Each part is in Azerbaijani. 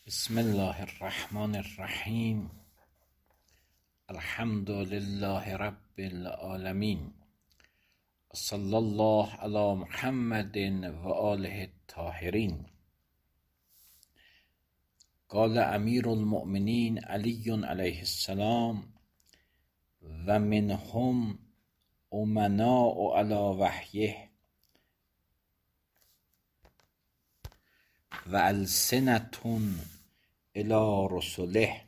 بسم الله الرحمن الرحیم. الحمد لله رب العالمین. صلی الله علی محمد و آله الطاهرین. قال امیر المؤمنین علی علیه السلام و منهم امناء علی وحیه و السنة الی رسله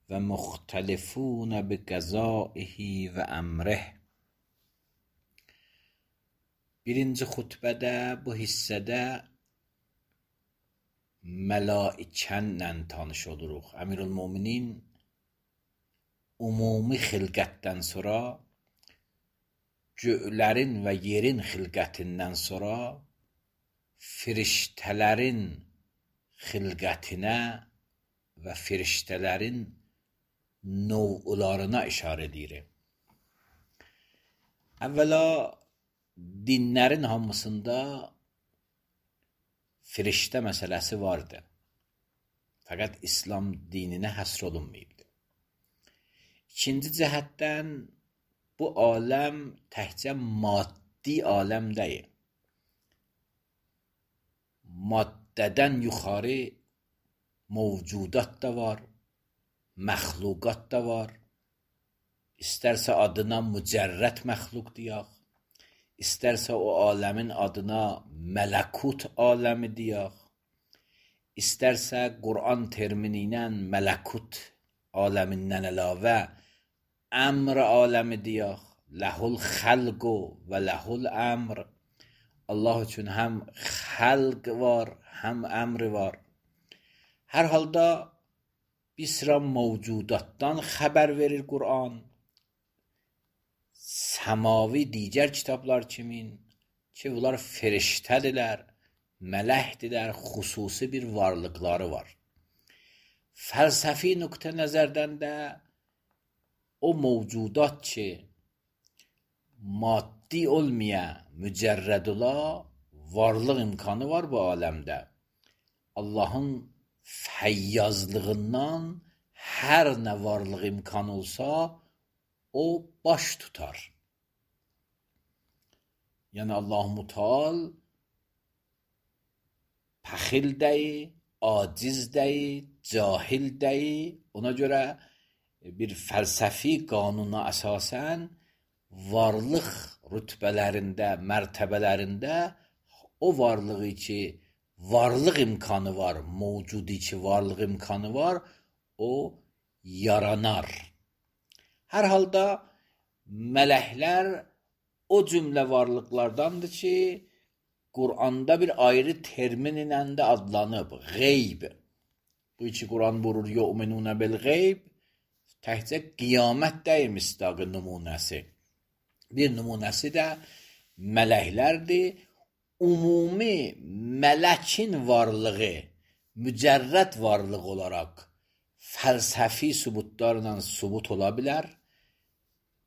و مختلفون بقضائه و امره. Birinci xutbədə, bu hissədə mələikənlə tanış oluruq. Əmirül-Möminin ümumi xilqətdən sonra, göylərin və yerin xilqətindən sonra firiştələrin xilqətinə və firiştələrin növlarına işarə edir. Əvvəla dinlərin hamısında firiştə məsələsi vardı. Fəqət İslam dininə həsr olunmayıbdır. İkinci cəhətdən bu aləm təkcə maddi aləm deyil. Maddədən yuxarı mövcudat da var, məxluqat da var. İstərsə adına mücərrəd məxluq deyək, İstərsə o aləmin adına mələkut aləmi deyək, İstərsə Quran termini ilə mələkut aləmindən əlavə əmr aləmi deyək, ləhul xəlqu və ləhul əmr. Allah üçün həm xəlq var, həm əmr var. Hər halda bir sıra mövcudatdan xəbər verir Quran. Səmavi digər kitablar kimin ki, bunlar firiştədirlər, mələkdirlər, xüsusi bir varlıqları var. Fəlsəfi nöqtə nəzərdən də o mövcudat ki, maddi olmayan, mücərrəd ola, varlıq imkanı var bu aləmdə. Allahın fəyyazlığından hər nə varlıq imkanı olsa, o baş tutar. Yəni Allah-u Müteal pəxil deyil, aciz deyil, cahil deyil. Ona görə bir fəlsəfi qanuna əsasən varlıq rütbələrində, mərtəbələrində o varlığı ki, varlıq imkanı var, mövcudi ki, varlıq imkanı var, o yaranar. Hər halda mələklər o cümlə varlıqlardandır ki, Quranda bir ayrı termin ilə də adlanıb, qeyb. Bu iki Quran buyurur, yu'minunə bil qeyb, təkcə qiyamət deyil misdaqı nümunəsi. Bir nümunəsi də mələklərdir. Ümumi mələkin varlığı, mücərrəd varlıq olaraq fəlsəfi sübutlarla sübut ola bilər,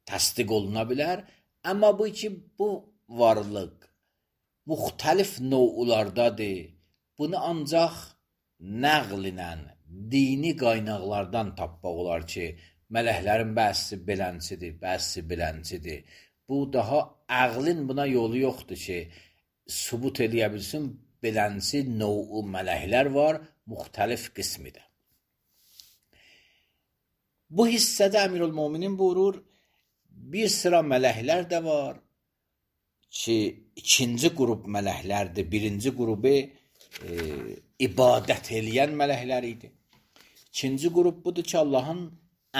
təsdiq oluna bilər. Amma bu ki, bu varlıq müxtəlif növlardadır. Bunu ancaq nəql ilə, dini qaynaqlardan tapmaq olar ki, mələklərin bəzisi belənçidir, bəzisi belənçidir. Bu daha əqlin buna yolu yoxdur ki, sübut eləyə bilsin, belənçi növü mələklər var, müxtəlif qismidir. Bu hissədə Əmirül-Möminin buyurur, bir sıra mələklər də var ki, ikinci qrup mələklərdir. Birinci qrubu ibadət eləyən mələklər idi. İkinci qrup budur ki, Allahın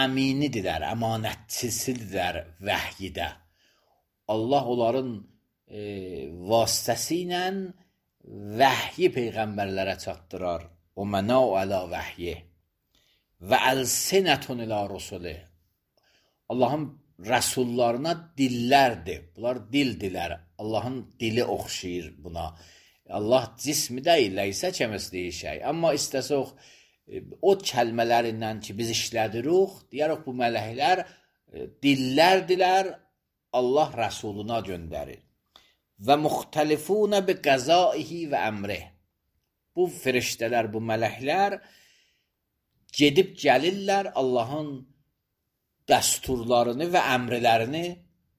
əminidirlər, əmanətçisidirlər vəhyidə. Allah onların vasitəsi ilə vəhyi peyğəmbərlərə çatdırar. O mənə ələ vəhyi və əlsinətun ilə rusulih. Allahın rəsullarına dillərdir. Bunlar dildilər. Allahın dili oxşayır buna. Allah cismi deyil, ləysə kəmisliyi şey. Amma istəsək o kəlmələrindən ki, biz işlədirik, deyərək bu mələklər dillərdilər, Allah rəsuluna göndərir. Və müxtəlifuna bi qəzaihi və əmrih. Bu firiştələr, bu mələklər gedib gəlirlər Allahın dəsturlarını və əmrlərini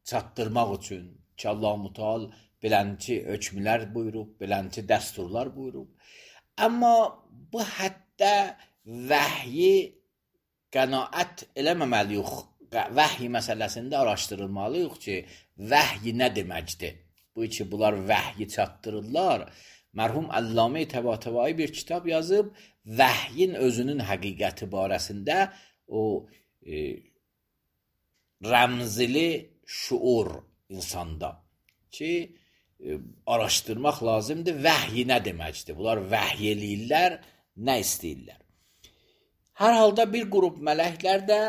çatdırmaq üçün ki, Allah-u Teala belənti hökmlər buyurub, belənti dəsturlar buyurub. Amma bu həddə vəhyi qənaət eləməməliyik. Vəhy məsələsində araşdırılmalıyıq ki, vəhy nə deməkdir? Bu ki, bunlar vəhyi çatdırırlar. Mərhum Allamə Təbatəbai bir kitab yazıb, vəhyin özünün həqiqəti barəsində o rəmzili şuur insanda ki, araşdırmaq lazımdır. Vəhy nə deməkdir? Bunlar vəhy eləyirlər, nə istəyirlər? Hər halda bir qrup mələklər də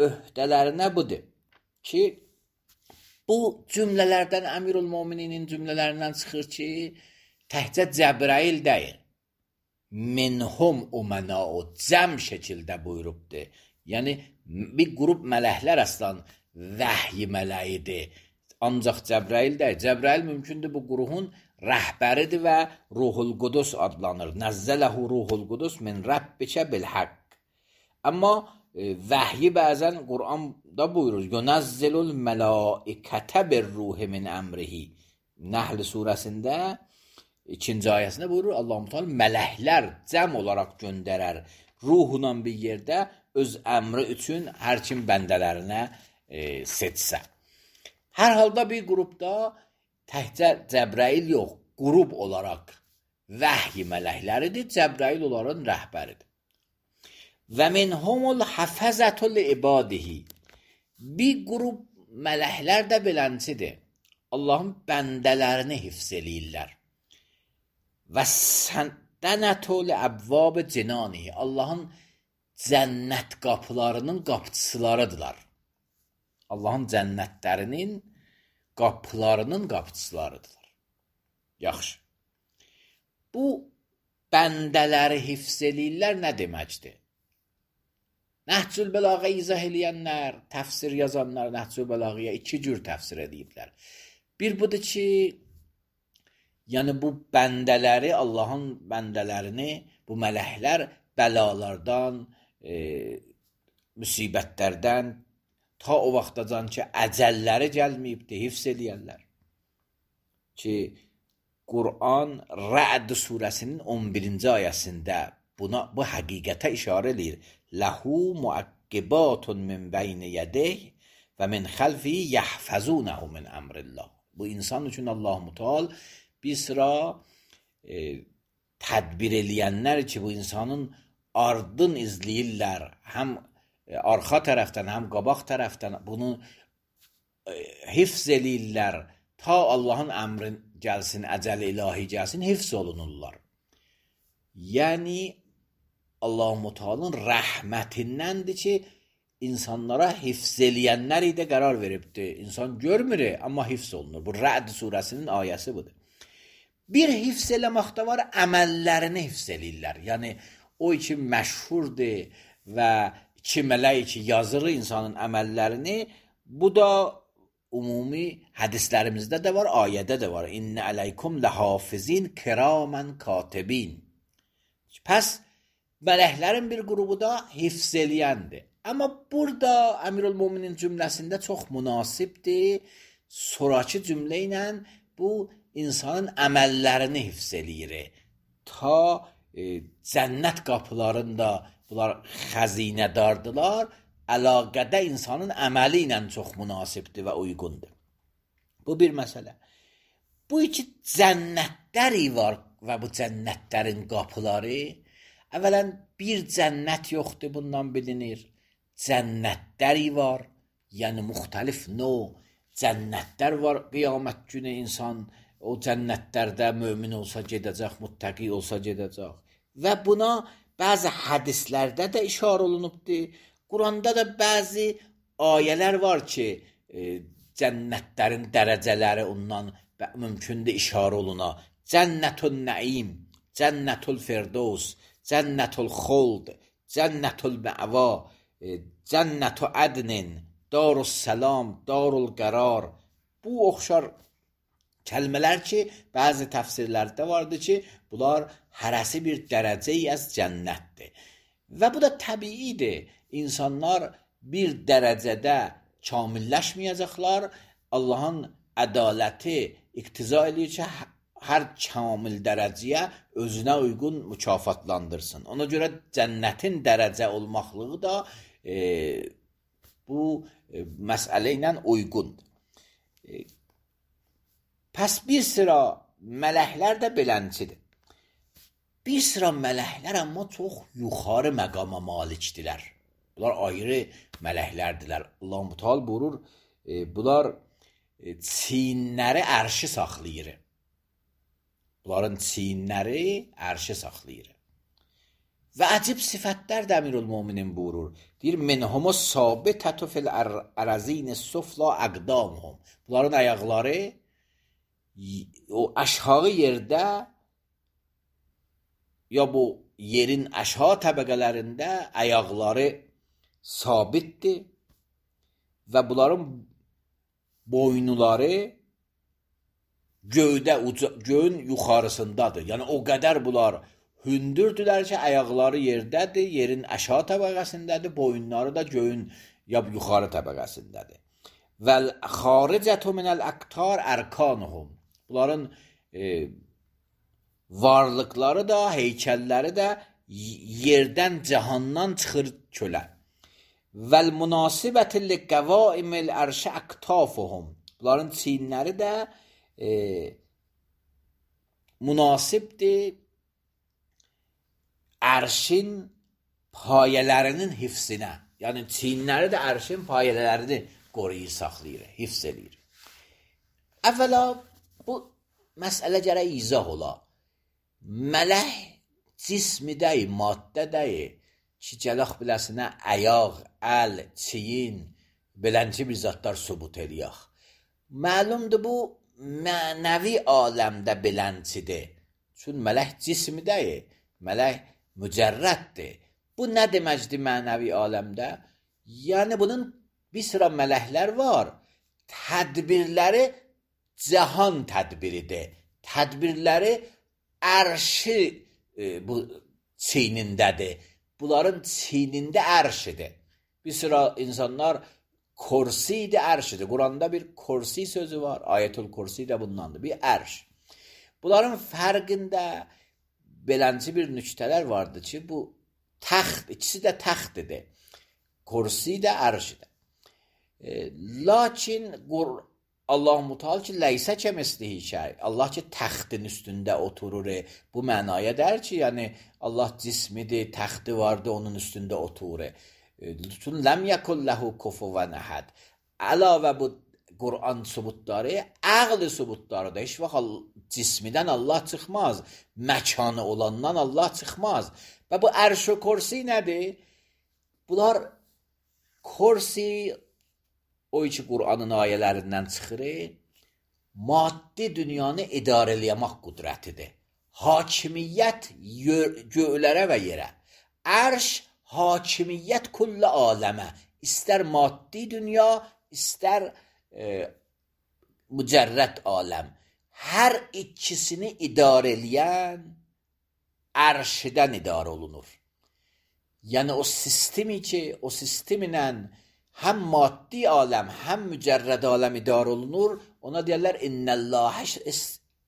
öhdələrinə budur ki, bu cümlələrdən Əmirül Mömininin cümlələrindən çıxır ki, təhcə Cəbrail deyil. Minhum umenau cəm şəkildə buyurubdur. Yəni, bir qrup mələklər əslən vəhy mələyidir. Ancaq Cəbrail deyil. Cəbrail mümkündür bu qruhun rəhbəridir və Ruhul Qudus adlanır. Nəzzələhu Ruhul Qudus min Rabbikə bil haqq. Amma vəhyi bəzən Qur'anda buyurur. Yunazzilul mələikətə bir ruhi min əmrihi. Nəhl surəsində 2-ci ayəsində buyurur. Allah-u Teala mələklər cəm olaraq göndərər. Ruhunla bir yerdə öz əmri üçün hər kim bəndələrinə seçsə. Hər halda bir qrupda təhcə Cəbrail yox, qrup olaraq vəhy mələkləridir. Cəbrail onların rəhbəridir. Və minhumul hafəzətul ibadihi. Bir qrup mələklər də beləncidir. Allahın bəndələrini hifz eləyirlər. Və səndənətul əbvab cinanihi. Allahın cənnət qapılarının qapıçılarıdırlar. Allahın cənnətlərinin qapılarının qapıçılarıdırlar. Yaxşı. Bu bəndələri hifz eləyirlər nə deməkdir? Nəhcül Bəlağə izah eləyənlər, təfsir yazanlar Nəhcül Bəlağəyə 2 cür təfsir ediblər. Bir budur ki, yəni bu bəndələri, Allahın bəndələrini, bu mələklər bəlalardan, müsibətlərdən ta o vaxtacan ki, əcəlləri gəlməyibdir, hifz eləyərlər. Ki, Qur'an Rə'd surəsinin 11-ci ayəsində bu həqiqətə işarə eləyir. Ləhu muəqqibatun min bəyni yədeyh və min xəlfi yəhfəzunəhu min əmrillah. Bu insan üçün Allah-u Teala bir sıra tədbir eləyənlər ki, bu insanın ardın izləyirlər. Həm arxa tərəfdən, həm qabaq tərəfdən bunu hifz eləyirlər. Ta Allahın əmrin gəlsin, əcəl ilahi gəlsin, hifz olunurlar. Yəni, Allah-u Teala'nın rəhmətindəndir ki, insanlara hifz eləyənlər də qərar veribdir. İnsan görmür, amma hifz olunur. Bu Rə'd surəsinin ayəsi budur. Bir hifz eləməkdə var, əməllərini hifz eləyirlər. Yəni, o ki məşhurdur və 2 mələk ki yazır insanın əməllərini, bu da ümumi hədislərimizdə də var, ayədə də var. İnnə əleykum ləhafizin kiramən katibin. Pəs, mələklərin bir qrubu da hifz eləyəndir. Amma burada Əmirül Möminin cümləsində çox münasibdir. Sonrakı cümlə ilə bu insanın əməllərini hifz eləyir. Ta cənnət qapılarında bunlar xəzinədardılar. Əlaqədə insanın əməli ilə çox münasibdir və uyğundur. Bu bir məsələ. Bu iki cənnətləri var və bu cənnətlərin qapıları. Əvvələn bir cənnət yoxdur, bundan bilinir. Cənnətləri var, yəni müxtəlif növ cənnətlər var. Qiyamət günü insan o cənnətlərdə mömin olsa gedəcək, muttəqi olsa gedəcək. Və buna bəzi hədislərdə də işarə olunubdur. Quranda da bəzi ayələr var ki, cənnətlərin dərəcələri ondan mümkündür işarə oluna. Cənnətül nəim, cənnətül firdevs, cənnətül xuld, cənnətül məva, cənnətü ədnin, darus səlam, darul qərar. Bu oxşar kəlmələr ki, bəzi təfsirlərdə vardır ki, bunlar hərəsi bir dərəcə az cənnətdir. Və bu da təbiidir. İnsanlar bir dərəcədə kamilləşməyəcəklər. Allahın ədaləti iqtiza edir ki, hər kamil dərəcəyə özünə uyğun mükafatlandırsın. Ona görə cənnətin dərəcə olmaqlığı da bu məsələ ilə uyğundur. Pəs bir sıra mələklər də belənçidir. Bir sıra mələklər amma çox yuxarı məqama malikdirlər. Bunlar ayrı mələklərdirlər. Allah-u Teala buyurur, bunlar çiyinləri ərşi saxlayır. Bunların çiyinləri ərşi saxlayır. Və əcib sifətlər də Əmirül-Möminin buyurur. Deyir, minhumus sabitatu fil arazin sufla aqdamuhum. Bunların ayaqları o aşağı yerdə ya bu yerin aşağı təbəqələrində ayaqları sabitdir və bunların boynuları göyün yuxarısındadır. Yəni o qədər bunlar hündürdülər ki, ayaqları yerdədir, yerin aşağı təbəqəsindədir, boyunları da göyün yuxarı təbəqəsindədir. Vəl xaricətu minəl aqtar ərkanuhum. Bunların varlıqları da, heykəlləri də yerdən, cahandan çıxır kölə. Vəl münasibəti li qəvaimil ərşi aqtafuhum. Bunların çiyinləri də münasibdir ərşin payələrinin hifzinə. Yəni çiyinləri də ərşin payələrini qoruyur, saxlayır, hifz edir. Əvvəla bu məsələ gərək izah ola. Mələk cismi deyil, maddə deyil ki, gələk biləsinə əyaq, əl, çiyin, belənci bir zatlar sübut eləyək. Məlumdur bu mənəvi aləmdə beləncidir. Çün mələk cismi deyil, mələk mücərrəddir. Bu nə deməkdir mənəvi aləmdə? Yəni bunun bir sıra mələklər var. Tədbirləri cahan tədbiridir. Tədbirləri ərşi bu çiynindədir. Bunların çiynində ərşidir. Bir sıra insanlar kursi də ərşidir. Quranda bir kursi sözü var. Ayetül Kursi də bundandır. Bir ərş. Bunların fərqində belənci bir nüktələr vardır ki, bu təxt, ikisi də təxtidir. Kursi də ərşidir. Lakin Allah-u Teala ki, leysə kəmislihi şey. Allah ki, təxtin üstündə oturur. Bu mənaya der ki, yəni Allah cismidir, təxti vardır, onun üstündə oturur. Lütfun ləm yəkul ləhu kufuvan əhəd. Əlavə bu Qur'an sübutları, əqli sübutları da heç vaxt cismidən Allah çıxmaz. Məkanı olandan Allah çıxmaz. Və bu ərş-i kursi nədir? Bunlar kursi o iki Qur'anın ayələrindən çıxır. Maddi dünyanı idarə eləmək qüdrətidir. Hakimiyyət göylərə və yerə. Ərş hakimiyyət kulli aləmə. İstər maddi dünya, istər mücərrəd aləm. Hər ikisini idarə eləyən ərşidən idarə olunur. Yəni o sistemi ki, o sisteminlə həm maddi aləm, həm mücərrəd aləm idarə olunur, ona deyərlər innəllâhe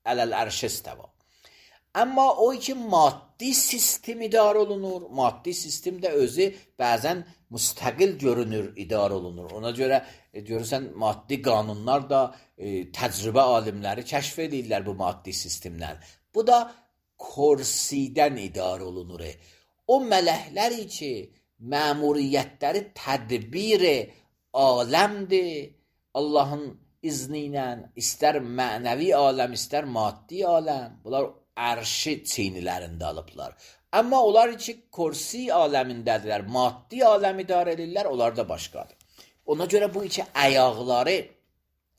ələl ərşi istəva. Amma o ki maddi sistem idarə olunur, maddi sistem də özü bəzən müstəqil görünür, idarə olunur. Ona görə görürsən maddi qanunlar da təcrübə alimləri kəşf edirlər bu maddi sistemdən. Bu da kursidən idarə olunur. O mələkləri ki, məmuriyyətləri tədbir aləmdir, Allahın izni ilə istər mənəvi aləm, istər maddi aləm, bunlar ərşi çiynilərində alıblar. Amma onlar ki, kursi aləmindədirlər, maddi aləm idarə edirlər, onlar da başqadır. Ona görə bu iki ayaqları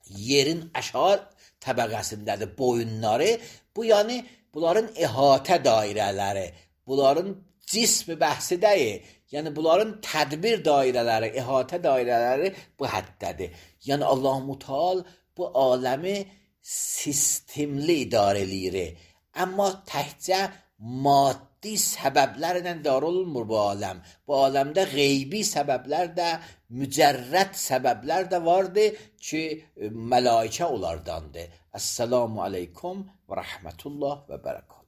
yerin aşağı təbəqəsindədir, boyunları, bu yəni bunların əhatə dairələri, bunların cismi bəhsi deyil, yəni bunların tədbir dairələri, əhatə dairələri bu həddədir. Yəni Allah-u Teala bu aləmi sistemli idarə eləyir. Amma təkcə maddi səbəblərlə dar olunmur bu aləm. Bu aləmdə qeybi səbəblər də, mücərrəd səbəblər də vardır ki, mələikə onlardandır. Əssalamu aleykum və rəhmətullah və bərəkət.